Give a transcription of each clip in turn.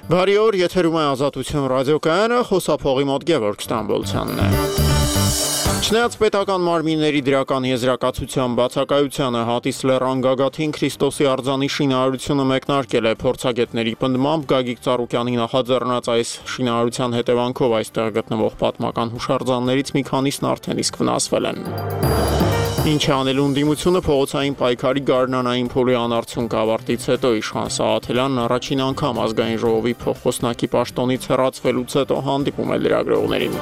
Բարի օր, եթերում է Ազատություն ռադիոկայանը, խոսափողի մոտ Գևորգ Ստամբոլցյանն է։ Չնայած պետական մարմինների դրական եզրակացության բացակայությանը Հատիս լեռան գագաթին Քրիստոսի արձանի շինարարությունը մեկնարկել է փորձագետների պնդմամբ Գագիկ Ծառուկյանի նախաձեռնած այս շինարարության հետևանքով այստեղ գտնվող պատմական հուշարձաններից մի քանիսն արդեն իսկ վնասվել են։ Ինչ է անելու ընդդիմությունը փողոցային պայքարի գարնանային փուլի անարդյունք ավարտից հետո իշխան Սաղաթելյանն առաջին անգամ ազգային ժողովի փոխոսնակի պաշտոնից հեռացվելուց հետո հանդիպում է լրագրողներին։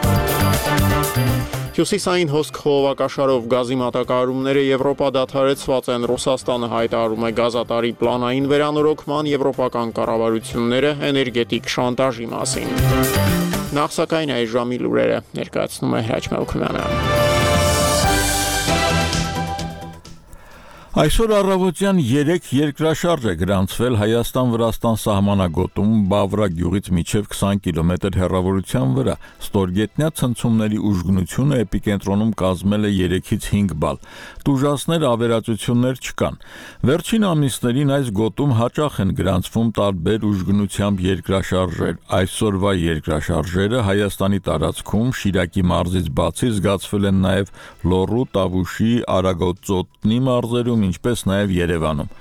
Հյուսիսային հոսք խողովակաշարով գազի մատակարարումները Եվրոպա դադարեցված են, Ռուսաստանը հայտարարում է գազատարի պլանային վերանորոգման, եվրոպական կառավարությունները էներգետիկ շանտաժի մասին։ Նախ սակայն այս ժամի լուրերը ներկայացնում է Հրաչ Մելքումյանը։ Այսօր առավոտյան 3 երկրաշարժ է գրանցվել Հայաստան-Վրաստան սահմանագոտում Բավրա գյուղից մինչև 20 կիլոմետր հեռավորության վրա։ Ստորգետնյա ցնցումների ուժգնությունը էպիկենտրոնում կազմել է 3-ից 5 բալ։ Տուժածներ ավերածություններ չկան։ Վերջին ամիսներին այս գոտում հաճախ են գրանցվում տարբեր ուժգնությամբ երկրաշարժեր։ Այսօրվա երկրաշարժերը Հայաստանի տարածքում Շիրակի մարզից բացի զգացվել են նաև Լոռու, Տավուշի, Արագոծոտնի մարզերում, ինչպես նաև Երևանում։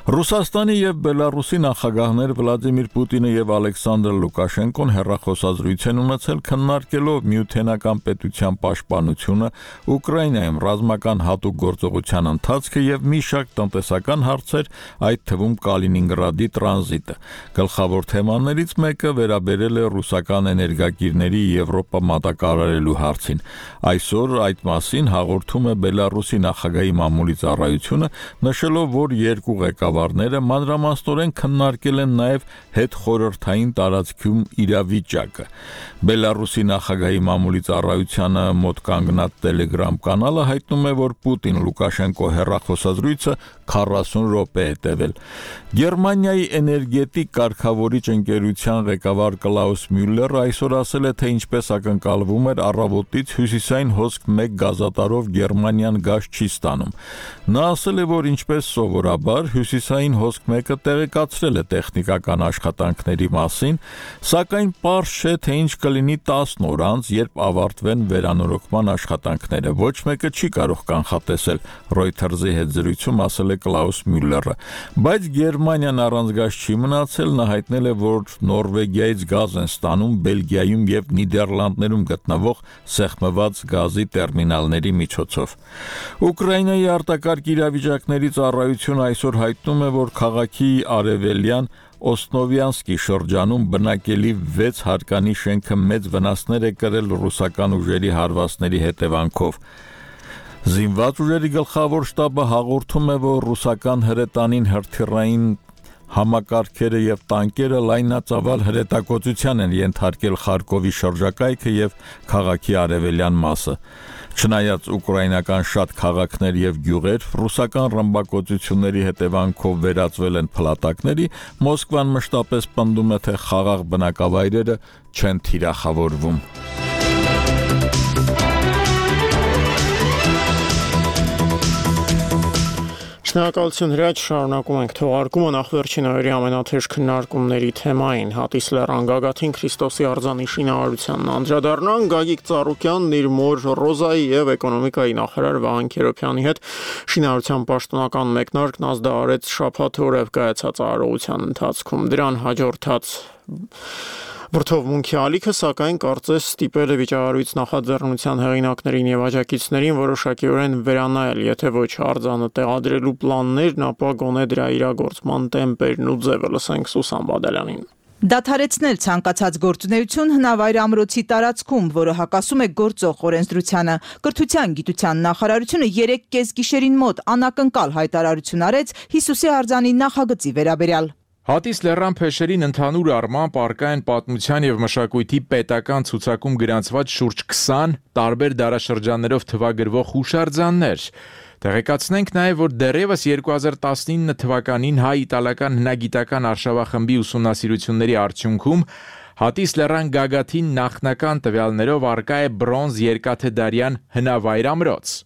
Ռուսաստանի եւ Բելարուսի նախագահներ Վլադիմիր Պուտինը եւ Ալեքսանդր Լուկաշենկոն հեռախոսազրույց են ունեցել քննարկելով միութենական պետության պաշտպանությունը, Ուկրաինայում ռազմական հատուկ գործողության ընթացքը եւ մի շարք տնտեսական հարցեր, այդ թվում Կալինինգրադի տրանզիտը։ Գլխավոր թեմաներից մեկը վերաբերել է ռուսական էներգակիրների Եվրոպա մատակարարելու հարցին։ Այսօր այդ մասին հաղորդում է Բելարուսի նախագահի մամուլի ծառայությունը, նշելով, որ երկու ղեկավարները մանրամասնորեն քննարկել են նաև հետխորհրդային տարածքում իրավիճակը։ Բելարուսի նախագահի մամուլի ծառայությանը մոտ կանգնած Telegram կանալը հայտնում է, որ Պուտին-Լուկաշենկո հեռախոսազրույցը 40 րոպե է տևել։ Գերմանիայի էներգետիկ կարգավորիչ ընկերության ղեկավար Կլաուս Մյուլլերը այսօր ասել է, թե ինչպես ակնկալվում էր առավոտից հյուսիսային հոսք 1 գազատարով Գերմանիան գազ չի ստանում։ Նա ասել է, որ ինչպես սովորաբար հյուսիսային հոսք 1-ը տեղեկացրել է տեխնիկական աշխատանքների մասին, սակայն պարզ չէ, թե ինչ կլինի 10 օր անց, երբ ավարտվեն վերանորոգման աշխատանքները։ Ոչ մեկը չի կարող կանխատեսել, Reuters-ի հետ զրույցում ասել է Կլաուս Մյուլլերը։ Բայց Գերմանիան առանց գազ չի մնացել, նա հայտնել է, որ Նորվեգիայից գազ են ստանում Բելգիայում եւ Նիդերլանդներում գտնվող սեղմված գազի տերմինալների միջոցով։ Ուկրաինայի արտակարգ իրավիճակների ծառայությունը այսօր հայտնում է, որ քաղաքի արևելյան Օսնովյանսկի շրջանում բնակելի 6 հարկանի շենքը մեծ վնասներ է կրել ռուսական ուժերի հարվածների հետևանքով։ Զինված ուժերի գլխավոր շտաբը հաղորդում է, որ ռուսական հրետանին հրթիռային համակարգերը եւ տանկերը լայնածավալ հրետակոծության են ենթարկել Խարկովի շրջակայքը եւ քաղաքի արևելյան մասը։ Չնայած ուկրաինական շատ քաղաքներ եւ գյուղեր ռուսական ռմբակոծությունների հետևանքով վերածվել են փլատակների, Մոսկվան մշտապես պնդում է, թե խաղաղ բնակավայրերը չեն թիրախավորվում։ Շնորհակալություն Հրաչ, շարունակում ենք թողարկումը նախ վերջին օրերի ամենաթեժ քննարկումների թեմային Հատիս լեռան գագաթին Քրիստոսի արձանի շինարարությանն անդրադառնանք։ Գագիկ Ծառուկյանն իր մոր Ռոզայի եւ էկոնոմիկայի նախարար Վահան Քերոբյանի հետ շինարարության պաշտոնական մեկնարկն ազդարարեց շաբաթ օրը կայացած արարողության ընթացքում։ Դրան հաջորդած Վրդովմունքի ալիքը, սակայն կարծես ստիպել է վիճակառույց նախաձեռնության հեղինակներին եւ աջակիցներին որոշակիորեն վերանայել, եթե ոչ արձանը տեղադրելու պլաններն, ապա գոնե դրա իրագործման տեմպերն ու ձևը։ Լսենք Սուսան Բադալյանին։ Դադարեցնել ցանկացած գործունեություն հնավայր ամրոցի տարածքում, որը հակասում է գործող օրենսդրությանը։ Կրթության գիտության նախարարությունը 3 կեսգիշերին մոտ անակնկալ հայտարարություն արեց Հիսուսի արձանի նախագծի վերաբերյալ։ Հատիս լեռան փեշերին ընդհանուր առմամբ առկա են պատմության եւ մշակույթի պետական ցուցակում գրանցված շուրջ 20 տարբեր դարաշրջաններով թվագրվող հուշարձաններ։ Տեղեկացնենք նաև, որ դեռևս 2019 թվականին հայ-իտալական հնագիտական արշավախմբի ուսումնասիրությունների արդյունքում Հատիս լեռան գագաթին նախնական տվյալներով առկա է բրոնզ երկաթեդարյան հնավայր ամրոց։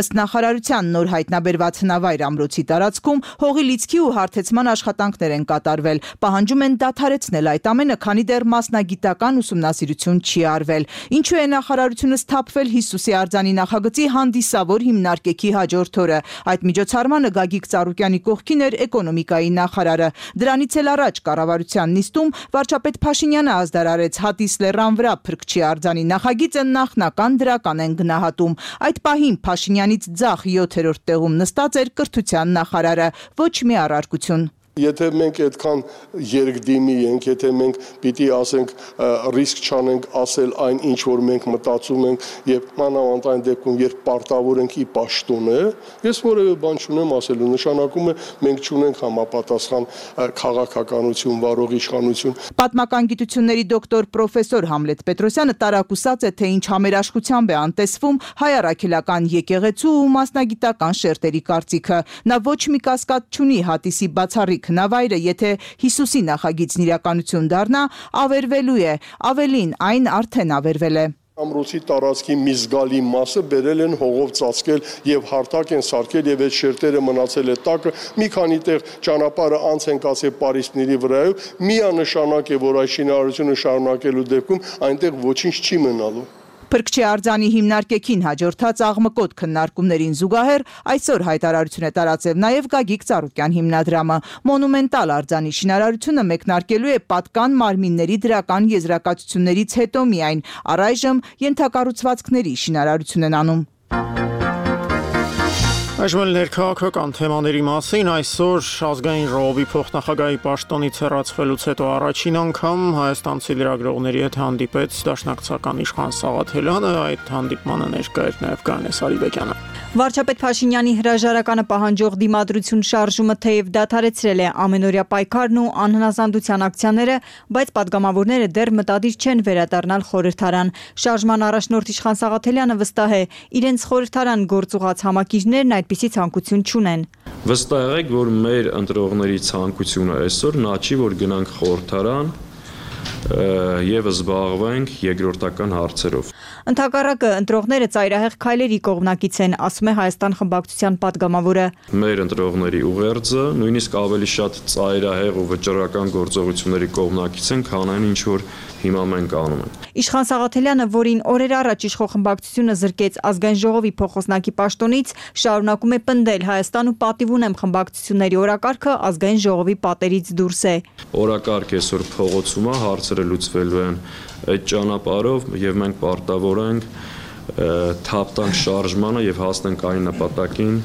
Ըստ նախարարության նոր հայտնաբերված հնավայր ամրոցի տարածքում հողի լիցքի ու հարթեցման աշխատանքներ են կատարվել։ Պահանջում են դադարեցնել այդ ամենը, քանի դեռ մասնագիտական ուսումնասիրություն չի արվել։ Ինչու է նախարարությունը սթափվել Հիսուսի արձանի նախագծի հանդիսավոր հիմնարկեքի հաջորդ օրը։ Այդ միջոցառմանը Գագիկ Ծառուկյանի կողքին էր էկոնոմիկայի նախարարը։ Դրանից էլ առաջ կառավարության նիստում վարչապետ Փաշինյանը ազդարարեց Հատիս լեռան վրա Փրկչի արձանի նախագիծը նախնական դրական են գնահատում։ Այդ պահին Փաշինյանից ձախ 7-րդ տեղում նստած էր կրթության նախարարը, ոչ մի առարկություն։ Եթե մենք այդքան երկդիմի ենք, եթե մենք պիտի ասենք ռիսկ չանենք ասել այն, ինչ որ մենք մտածում ենք եւ մանավանդ այն դեպքում, երբ պարտավոր ենք ի պաշտոն է, ես որևէ բան չունեմ ասելու, նշանակում է մենք չունենք համապատասխան քաղաքականություն, վարող իշխանություն։ Պատմական գիտությունների դոկտոր պրոֆեսոր Համլետ Պետրոսյանը տարակուսած է, թե ինչ համերաշխությամբ է անտեսվում հայ առաքելական եկեղեցու ու մասնագիտական շերտերի կարծիքը։ Նա ոչ մի կասկած չունի Հատիսի բացառիկ հնավայրը, եթե Հիսուսի նախագիծն իրականություն դառնա, ավերվելու է, ավելին այն արդեն ավերվել է։ Ամրոցի տարածքի մի զգալի մասը բերել են հողով ծածկել եւ հարթակ են սարքել եւ այդ շերտերը մնացել է տակը, մի քանի տեղ ճանապարհը անց են կացել պարիսպների վրայով, միանշանակ է, որ այդ շինարարությունը շարունակելու դեպքում այնտեղ ոչինչ չի մնալու։ Փրկչի արձանի հիմնարկեքին հաջորդած աղմկոտ քննարկումներին զուգահեռ այսօր հայտարարություն է տարածել նաև Գագիկ Ծառուկյան հիմնադրամը։ Մոնումենտալ արձանի շինարարությունը մեկնարկելու է պատկան մարմինների դրական եզրակացություններից հետո միայն, առայժմ ենթակառուցվածքների շինարարություն են անում։ Այժմ ներքաղաքական թեմաների մասին այսօր ազգային ժողովի փոխնախագահի պաշտոնից հեռացվելուց հետո առաջին անգամ հայաստանցի լրագրողների հետ հանդիպեց դաշնակցական իշխան Սաղաթելյանը, այդ հանդիպմանը ներկա էր նաև Գայանե Սարիբեկյանը։ Վարչապետ Փաշինյանի հրաժարականը պահանջող դիմադրություն շարժումը թեև դադարեցրել է ամենօրյա պայքարն ու անհնազանդության ակցիաները, բայց падգամավորները դեռ մտադիր չեն վերադառնալ խորհրդարան։ Շարժման առաջնորդ իշխան Սաղաթելյանը վստահ է, իրենց խորհրդարան գործուղած համակիրներն այդպիսի ցանկություն չունեն։ Վստահ եք, որ մեր ընտրողների ցանկությունը այսօր նա չի, որ գնանք խորհրդարան եւ զբաղվենք երկրորդական հարցերով։ Ընդհակառակը ընտրողները ծայրահեղ քայլերի կողմնակից են, ասում է Հայաստան խմբակցության падգամավորը։ Մեր ընտրողների ուղերձը նույնիսկ ավելի շատ ծայրահեղ ու վճռական գործողությունների կողմնակից են, քան այն, ինչ որ հիմա մենք անում ենք։ Իշխան Սաղաթելյանը, որին օրեր առաջ իշխող խմբակցությունը զրկեց ազգային ժողովի փոխոսնակի պաշտոնից, շարունակում է պնդել Հայաստան ու պատիվ ունեմ խմբակցությունների օրակարգը ազգային ժողովի պատերից դուրս է։ Օրակարգ այսօր փողոցում է, հարցերը լուծվելու են այդ ճանապարհով եւ մենք պարտավոր ենք թափ տանք շարժմանը եւ հասնենք այն նպատակին,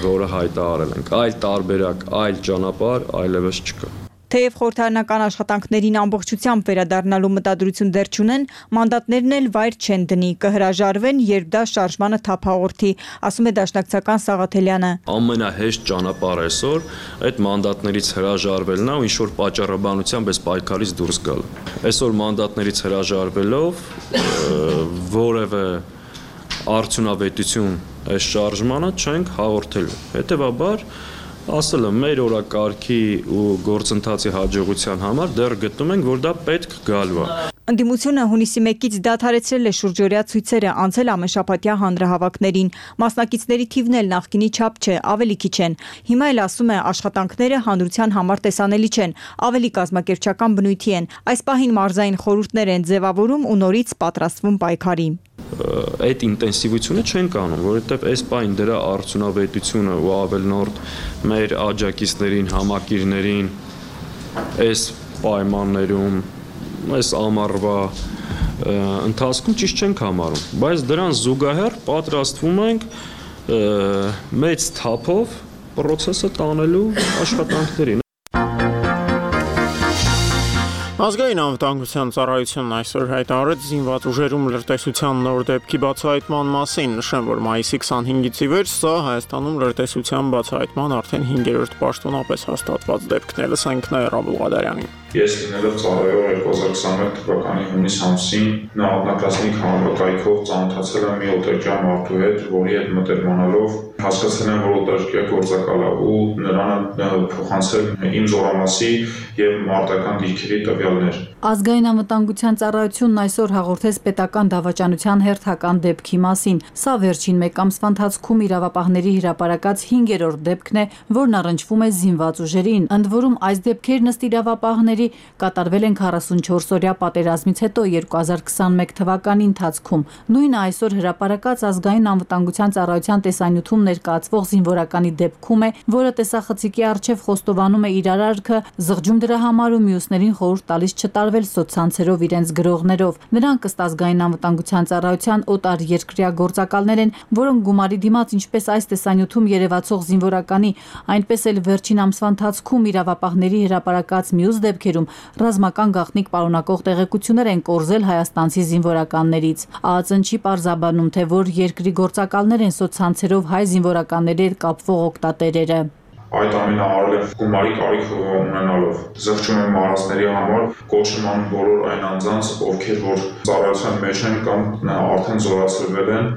որը հայտարարել ենք։ Այլ տարբերակ, այլ ճանապարհ այլևս չկա։ Թեև խորհրդարանական աշխատանքներին ամբողջությամբ վերադառնալու մտադրություն դեռ չունեն, մանդատներն էլ վայր չեն դնի, կհրաժարվեն, երբ դա շարժմանը թափ հաղորդի, ասում է դաշնակցական Սաղաթելյանը։ Ամենահեշտ ճանապարհը այսօր այդ մանդատներից հրաժարվելն է ու ինչ որ պատճառաբանությամբ այս պայքարից դուրս գալ։ Այսօր մանդատներից հրաժարվելով որևէ արդյունավետություն այս շարժմանը չենք հաղորդելու։ Հետևաբար ասել եմ, մեր օրակարգի ու գործընթացի հաջողության համար դեռ գտնում ենք, որ դա պետք գալու է։ Ընդդիմությունը հունիսի 1-ից դադարեցրել է շուրջօրյա ցույցերը, անցել ամենշաբաթյա հանրահավաքներին։ Մասնակիցների թիվն էլ նախկինի չափ չէ, ավելի քիչ են։ Հիմա էլ ասում է, աշխատանքները հանրության համար տեսանելի չեն, ավելի կազմակերպչական բնույթի են։ Այս պահին մարզային խորհուրդներ են ձևավորում ու նորից պատրաստվում պայքարի։ Այդ ինտենսիվությունը չենք անում, որովհետև այս պահին դրա արդյունավետությունը ու ավելնորդ մեր աջակիցներին, համակիրներին այս պայմաններում, այս ամառվա ընթացքում ճիշտ չենք համարում, բայց դրան զուգահեռ պատրաստվում ենք մեծ թափով process-ը տանելու աշխատանքներին։ Ազգային անվտանգության ծառայությունն այսօր հայտարարեց զինված ուժերում լրտեսության նոր դեպքի բացահայտման մասին, նշեմ, որ մայիսի 25-ից ի վեր սա Հայաստանում լրտեսության բացահայտման արդեն 5-րդ պաշտոնապես հաստատված դեպքն է, լսենք Նաիրա Բուղադարյանին։ Ես լինելով ծառայող 2021 թվականի հունիս ամսին նահատակազմիկ համակայքով ծանոթացել եմ մի օտարչյա մարդու հետ, որի հետ մտերմանալով հասկացել եմ, որ օտարերկրյա գործակալ է ու նրան փոխանցել իմ զորամասի եւ մարտական դիրքերի տվյալներ։ Ազգային անվտանգության ծառայությունն այսօր հաղորդեց պետական դավաճանության հերթական դեպքի մասին։ Սա վերջին մեկ ամսվա ընթացքում իրավապահների հրապարակած 5-րդ դեպքն է, որն առնչվում է զինված ուժերին։ Ընդ որում այս դեպքերն ըստ իրավապահների կատարվել են 44-օրյա պատերազմից հետո 2021 թվականի ընթացքում։ Նույնը այսօր հրապարակած ազգային անվտանգության ծառայության տեսանյութում ներկայացվող զինվորականի դեպքում է, որը տեսախցիկի առջև խոստովանում է իր արարքը, զղջում դրա համար ու մյուսներին խորհուրդ տալիս չտարվել սոցցանցերով իրենց գրողներով։ Նրանք ըստ ազգային անվտանգության ծառայության օտար երկրյա գործակալներ են, որոնք գումարի դիմաց ինչպես այս տեսանյութում երևացող զինվորականի, այնպես էլ վերջին ամսվա ընթացքում իրավապահների հրապարակած մյուս դեպքերում ռազմական գաղտնիք պարունակող տեղեկություններ են կորզել հայաստանցի զինվորականներից։ ԱԱԾ-ն չի պարզաբանում, թե որ երկրի գործակալներ են սոցցանցերով հայ զինվորականների հետ կապվող օգտատերերը։ Այդ ամենը արել եմ գումարի կարիք ունենալով։ Զղջում եմ մարզների համար, կոչում եմ բոլոր այն անձանց, ովքեր որ ծառայության մեջ են կամ արդեն զորացրվել են,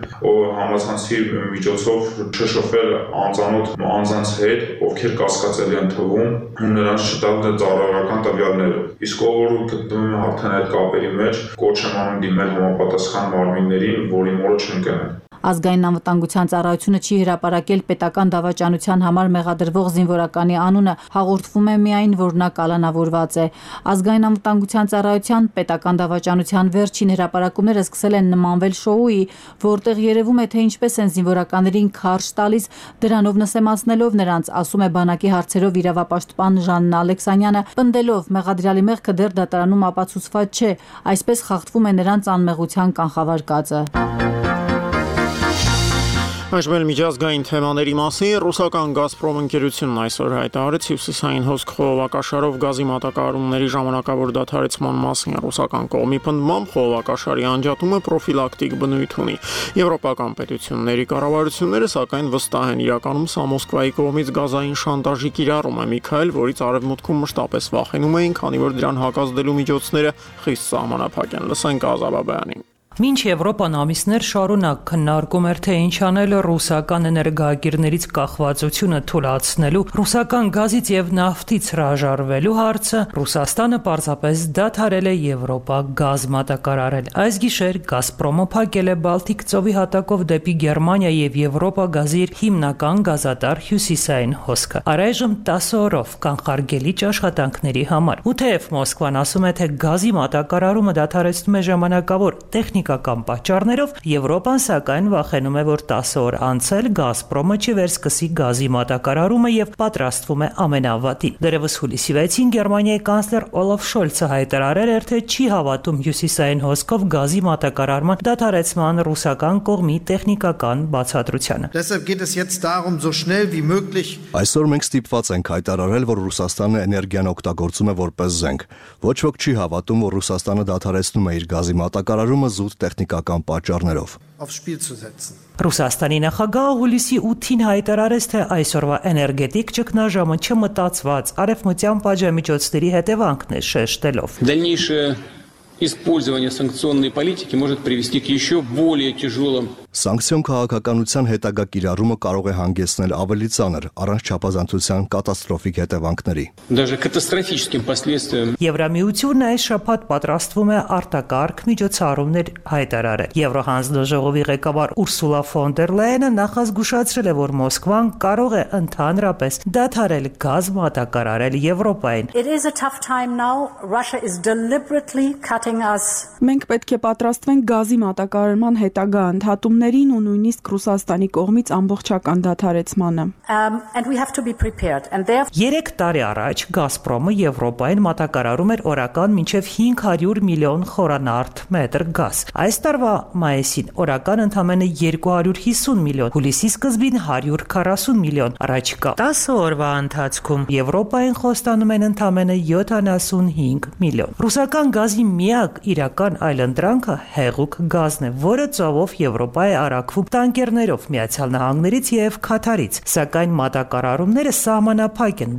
համացանցի միջոցով չշփվել անծանոթ անձանց հետ, ովքեր կասկածելի են թվում, ու նրանց չտալ ծառայական տվյալները։ Իսկ ով գտնվում է արդեն այդ կապերի մեջ, կոչ եմ անում դիմել համապատասխան մարմիններին, որի մորը չընկնեն։ Ազգային անվտանգության ծառայությունը չի հրապարակել պետական դավաճանության համար մեղադրվող զինվորականի անունը, հաղորդվում է միայն, որ նա կալանավորված է։ Ազգային անվտանգության ծառայության պետական դավաճանության վերջին հրապարակումները սկսել են նմանվել շոուի, որտեղ երևում է, թե ինչպես են զինվորականներին քարշ տալիս, դրանով նսեմացնելով նրանց, ասում է բանակի հարցերով իրավապաշտպան Ժաննա Ալեքսանյանը, պնդելով մեղադրյալի մեղքը դեռ դատարանում ապացուցված չէ, այսպես խախտվում է նրանց անմեղության կանխավարկածը։ Այժմ միջազգային թեմաների մասին ռուսական «Գազպրոմ» ընկերությունն այսօր հայտարարեց հյուսիսային հոսք խողովակաշարով գազի մատակարարումների ժամանակավոր դադարեցման մասին։ Ռուսական կողմի պնդմամբ խողովակաշարի անջատումը պրոֆիլակտիկ բնույթ ունի։ Եվրոպական պետությունների կառավարությունները սակայն վստահ են իրականում սա Մոսկվայի կողմից գազային շանտաժի կիրառում է, Միքայել, որից արևմուտքում մշտապես վախենում էին, քանի որ դրան հակազդելու միջոցները խիստ սահմանափակ են։ Լսենք Ազաբաբյանին։ Մինչ Եվրոպան ամիսներ շարունակ քննարկում էր, թե ինչ անել ռուսական էներգակիրներից կախվածությունը թույլատնելու, ռուսական գազից եւ նավթից հրաժարվելու հարցը, Ռուսաստանը պարզապես դադարել է Եվրոպա գազ մատակարարել։ Այս գիշեր «Գազպրոմը» փակել է Բալտիկ ծովի հատակով դեպի Գերմանիա եւ Եվրոպա գազի իր հիմնական գազատար հյուսիսային հոսքը։ Առայժմ 10 օրով կանխարգելիչ աշխատանքների համար։ Ու թեև Մոսկվան ասում է, թե գազի մատակարարումը դադարեցնում է ժամանակավոր տեխնիկական պատճառներով, Եվրոպան սակայն վախենում է, որ 10 օր անցել «Գազպրոմը» չվերսկսի գազի մատակարարումը եւ պատրաստվում է ամենավատի։ Դեռևս հուլիսի 6-ին Գերմանիայի կանցլեր Օլաֆ Շոլցը հայտարարել էր, թե չի հավատում հյուսիսային հոսքով գազի մատակարարման դադարեցման ռուսական կողմի տեխնիկական բացատրությանը։ Այսօր մենք ստիպված ենք հայտարարել, որ Ռուսաստանը էներգիան օգտագործում է որպես զենք։ Ոչ ոք չի հավատում, որ Ռուսաստանը դադարեցնում է իր գազի մատակարարումը զուտ տեխնիկական պատճառներով։ Ռուսաստանի նախագահը հուլիսի 8-ին հայտարարեց, թե այսօրվա էներգետիկ ճգնաժամը չմտածված արևմտյան պատժամիջոցների հետևանքն է, շեշտելով. Использование санкционной политики может привести к еще более тяжелым. Սանկցիոն քաղաքականության հետագա կիրառումը կարող է հանգեցնել ավելի ծանր, առանց չափազանցության կատաստրոֆիկ հետևանքների։ Даже катастрофическим последствиям. Եվրամիությունն այս շաբաթ պատրաստվում է արտակարգ միջոցառումներ հայտարարել։ Եվրոհանձնաժողովի ղեկավար Ուրսուլա ֆոն դեր Լայենը նախազգուշացրել է, որ Մոսկվան կարող է ընդհանրապես դադարել գազ մատակարարել Եվրոպային։ It is a tough time now. Russia is deliberately cutting us. Մենք պետք է պատրաստվենք գազի մատակարարման հետագա ընդհատումներ ու նույնիսկ Ռուսաստանի կողմից ամբողջական դադարեցմանը։ And we have to be prepared. And therefore 3 տարի առաջ «Գազպրոմը» Եվրոպային մատակարարում էր օրական մինչև 500 միլիոն խորանարդ մետր գազ։ Այս տարվա մայիսին օրական ընդամենը 250 միլիոն, հուլիսի սկզբին 140 միլիոն, առաջիկա 10 օրվա ընթացքում Եվրոպային խոստանում են ընդամենը 75 միլիոն։ Ռուսական գազի միակ իրական այլընտրանքը հեղուկ գազն է, որը ծովով Եվրոպա արաքվում տանկերներով Միացյալ Նահանգներից եւ Քաթարից, սակայն մատակարարումները սահմանափակ են։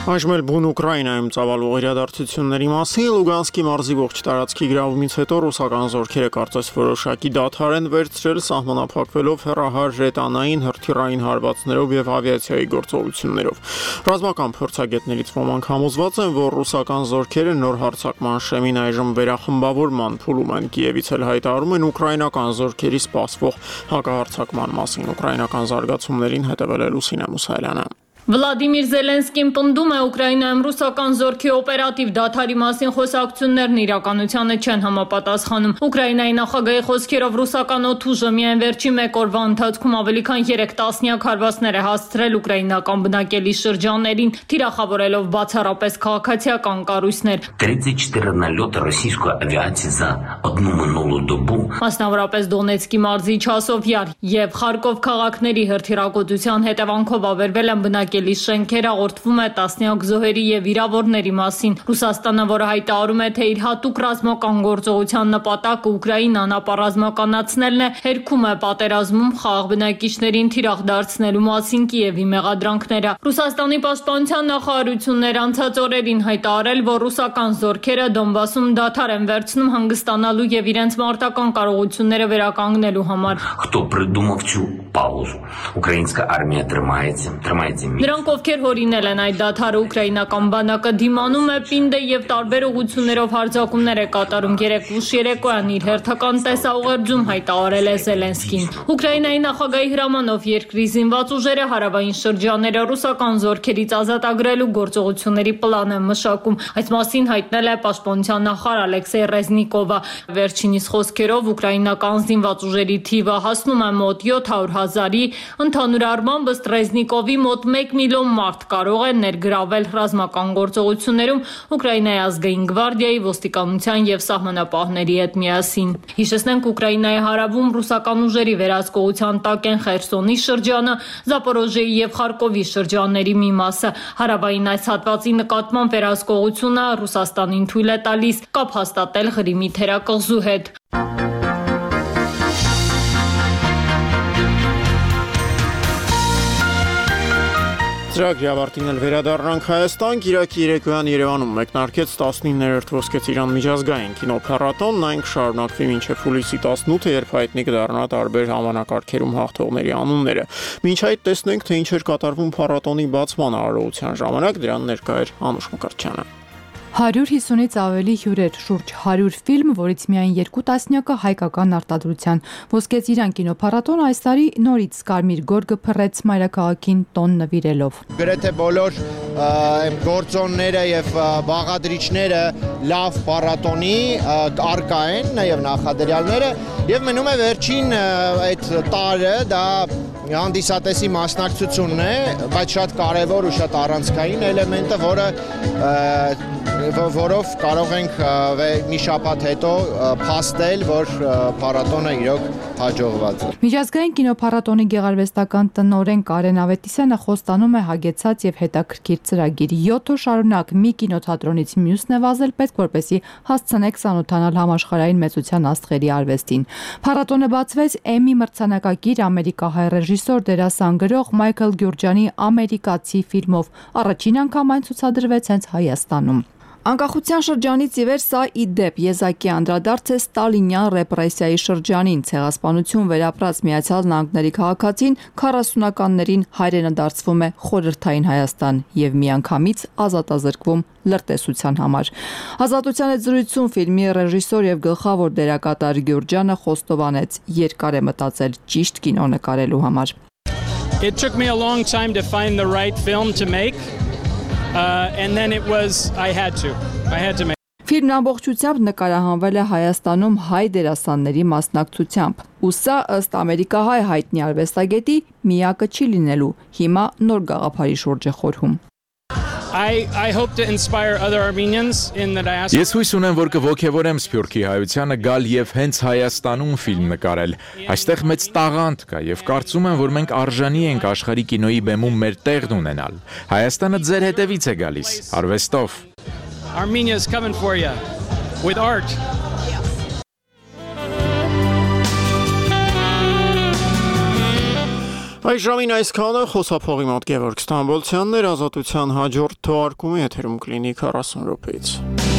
Այժմ էլ բուն Ուկրաինայում ծավալող իրադարձությունների մասին Լուգանսկի մարզի ողջ տարածքի գրավումից հետո ռուսական զորքերը կարծես որոշակի դադար են վերցրել, սահմանափակվելով հեռահար ժետանային հրթիռային հարվածներով եւ ավիացիայի գործողություններով։ Ռազմական փորձագետներից ոմանք համոզված են, որ ռուսական զորքերը նոր հարձակման շեմին այժմ վերախմբավորման փուլում են։ Կիևից էլ հայտարարում են ուկրաինական զորքերի սպասվող հակահարձակման մասին։ Ուկրաինական զարգացումներին հետևել է Լուսինե Մուսայելյանը։ Վլադիմիր Զելենսկին պնդում է Ուկրաինայում ռուսական զորքի օպերատիվ դադարի մասին խոսակցություններն իրականությանը չեն համապատասխանում։ Ուկրաինայի նախագահի խոսքերով ռուսական օդուժը միայն վերջին մեկ օրվա ընթացքում ավելի քան 3 տասնյակ հարվածներ է հասցրել ուկրաինական բնակելի շրջաններին, թիրախավորելով բացառապես քաղաքացիական կառույցներ։ 34 налета российской авиации за одну минулую добу. Մասնավորապես Դոնեցկի մարզի Չասովյար եւ Խարկով քաղաքների հրթիռակոծության հետևանքով ավերվել են բնակելի շենքեր, հաղորդվում է տասնյակ զոհերի եւ վիրավորների մասին։ Ռուսաստանը, որը հայտարարում է, թե իր հատուկ ռազմական գործողության նպատակը Ուկրաինան ապառազմականացնելն է, հերքում է պատերազմում խաղաղ բնակիչներին թիրախ դարձնելու մասին Կիևի մեղադրանքները։ Ռուսաստանի պաշտպանության նախարարությունն անցած օրերին հայտարարել, որ ռուսական զորքերը Դոնբասում դադար են վերցնում հանգստանալու եւ իրենց մարտական կարողությունները վերականգնելու համար։ Кто придумав цю паузу? Украинская армия трымається. Նրանք, ովքեր հորինել են այդ դադարը, ուկրաինական բանակը դիմանում է պինդ է եւ տարբեր ուղղություններով հարձակումներ է կատարում։ Երեկ ուշ երեկոյան իր հերթական տեսաուղերձում հայտարարել է Զելենսկին։ Ուկրաինայի նախագահի հրամանով երկրի զինված ուժերը հարավային շրջանները ռուսական զորքերից ազատագրելու գործողությունների պլան են մշակում։ Այս մասին հայտնել է պաշտպանության նախարար Ալեքսեյ Ռեզնիկովը։ Վերջինիս խոսքերով ուկրաինական զինված ուժերի թիվը հասնում է մոտ 700,000-ի, ընդհանուր առմամբ ըստ Ռեզնիկովի մոտ 1 միլիոն մարդ կարող է ներգրավել ռազմական գործողություններում Ուկրաինայի ազգային գվարդիայի, ոստիկանության եւ սահմանապահների հետ միասին։ Հիշեցնենք, Ուկրաինայի հարավում ռուսական ուժերի վերահսկողության տակ են Խերսոնի շրջանը, Զապորոժիեի եւ Խարկովի շրջանների մի մասը։ Հարավային այս հատվածի նկատմամբ վերահսկողությունը Ռուսաստանին թույլ է տալիս կապ հաստատել Ղրիմի թերակղզու հետ։ Ծրագրի ավարտին էլ վերադառնանք Հայաստան։ Կիրակի երեկոյան Երևանում մեկնարկեց 19-րդ Ոսկե Ծիրան միջազգային կինոփառատոնն, այն կշարունակվի մինչև հուլիսի 18-ը, երբ հայտնի կդառնա տարբեր համանակարգերում հաղթողների անունները։ Մինչ այդ տեսնենք, թե ինչ էր կատարվում փառատոնի բացման արարողության ժամանակ, դրան ներկա էր Անուշ Մկրտչյանը։ 150-ից ավելի հյուրեր, շուրջ 100 ֆիլմ, որից միայն 2 տասնյակը հայկական արտադրության։ Ոսկե Ծիրան կինոփառատոնը այս տարի նորից կարմիր գորգը փռեց մայրաքաղաքին տոն նվիրելով։ Գրեթե բոլոր գործոնները եւ բաղադրիչները լավ փառատոնի արկա են, նաեւ նախադրյալները, եւ մնում է վերջին այդ տարը դա հանդիսատեսի մասնակցությունն է, բայց շատ կարևոր ու շատ առանցքային էլեմենտը, որով կարող ենք մի շաբաթ հետո փաստել, որ փառատոնը իրոք հաջողված է։ Միջազգային կինոփառատոնի գեղարվեստական տնօրեն Կարեն Ավետիսյանը խոստանում է հագեցած եւ հետաքրքիր ծրագիր։ 7 օր շարունակ մի կինոթատրոնից մյուսն է վազել, պետք որպեսզի հասցնեք ծանոթանալ համաշխարհային մեծության աստղերի արվեստին։ Փառատոնը բացվեց Էմի մրցանակակիր ամերիկահայ ռեժիսոր դերասան գրող Մայքլ Գյուրջյանի ամերիկացի ֆիլմով։ Առաջին անգամ այն ցուցադրվեց հենց Հայաստանում։ Անկախության շրջանից ի վեր սա ի դեպ եզակի անդրադարձ է ստալինյան ռեպրեսիայի շրջանին, ցեղասպանություն վերապրած Միացյալ Նահանգների քաղաքացին 40-ականներին հայրենադարձվում է խորհրդային Հայաստան եւ միանգամից ազատազրկվում լրտեսության համար։ Ազատության այդ զրույցում ֆիլմի ռեժիսոր եւ գլխավոր դերակատար Գյուրջյանը խոստովանեց, երկար է մտածել ճիշտ կինո նկարելու համար։ It took me a long time to find the right film to make. And then it was I had to make. Ֆիլմն ամբողջությամբ նկարահանվել է Հայաստանում հայ դերասանների մասնակցությամբ։ Ու սա ըստ ամերիկահայ հայտնի արվեստագետի միակը չի լինելու։ Հիմա նոր գաղափարի շուրջ է խորհում։ I hope to inspire other Armenians in the diaspora. Ես հույս ունեմ, որ կողքեվորեմ Սփյուռքի հայությանը գալ եւ հենց Հայաստանում ֆիլմ նկարել։ Այստեղ մեծ տաղանդ կա եւ կարծում եմ, որ մենք արժանի ենք աշխարհի կինոյի բեմում մեր տեղն ունենալ։ Հայաստանը ձեր հետևից է գալիս, արվեստով։ Armenia is coming for you with art. Այս ժամին այսքանը խոսափողի մոտ Գևորգ Ստամբոլցյանն էր, Ազատության հաջորդ թողարկումի եթերում կլինի 40 րոպեից։